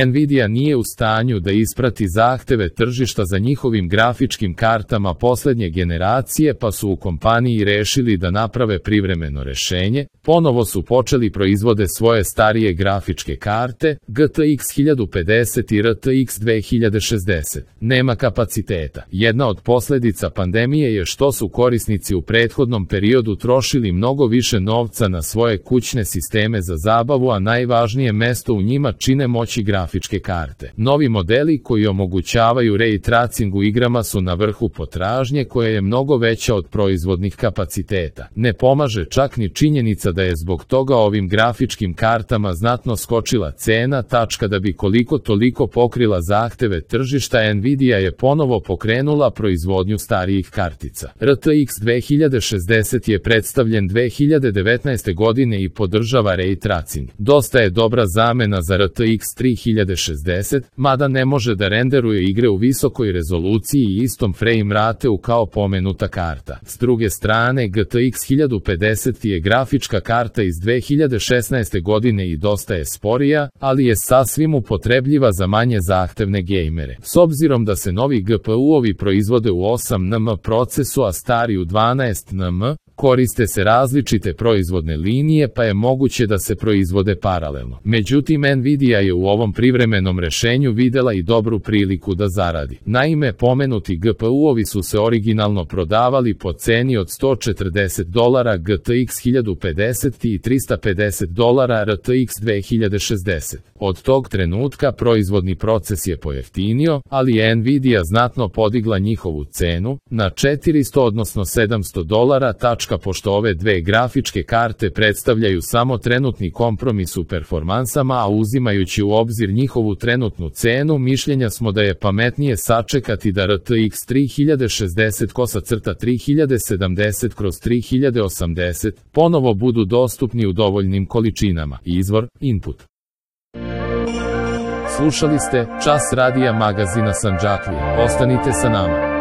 Nvidia nije u stanju da isprati zahteve tržišta za njihovim grafičkim kartama poslednje generacije, pa su u kompaniji rešili da naprave privremeno rešenje. Ponovo su počeli proizvode svoje starije grafičke karte, GTX 1050 i RTX 2060. Nema kapaciteta. Jedna od posledica pandemije je što su korisnici u prethodnom periodu trošili mnogo više novca na svoje kućne sisteme za zabavu, a najvažnije mesto u njima čine moći grafičke karte. Novi modeli koji omogućavaju ray tracing u igrama su na vrhu potražnje, koja je mnogo veća od proizvodnih kapaciteta. Ne pomaže čak ni činjenica da je zbog toga ovim grafičkim kartama znatno skočila cena. Da bi koliko toliko pokrila zahteve tržišta, Nvidia je ponovo pokrenula proizvodnju starijih kartica. RTX 2060 je predstavljen 2019. godine i podržava ray tracing. Dosta je dobra zamena za RTX 3060, mada ne može da renderuje igre u visokoj rezoluciji i istom frame rateu kao pomenuta karta. S druge strane, GTX 1050 je grafička karta iz 2016. godine i dosta je sporija, ali je sasvim upotrebljiva za manje zahtevne gejmere. S obzirom da se novi GPU-ovi proizvode u 8nm procesu, a stari u 12nm, koriste se različite proizvodne linije, pa je moguće da se proizvode paralelno. Međutim, Nvidia je u ovom privremenom rešenju videla i dobru priliku da zaradi. Naime, pomenuti GPU-ovi su se originalno prodavali po ceni od $140 GTX 1050 i $350 RTX 2060. Od tog trenutka proizvodni proces je pojeftinio, ali je Nvidia znatno podigla njihovu cenu na $400 odnosno $700. Pošto ove dve grafičke karte predstavljaju samo trenutni kompromis u performansama, a uzimajući u obzir njihovu trenutnu cenu, mišljenja smo da je pametnije sačekati da RTX 3060/3070/3080 ponovo budu dostupni u dovoljnim količinama. Izvor: Input. Slušali ste Čas radija magazina Sandžaklija. Ostanite sa nama.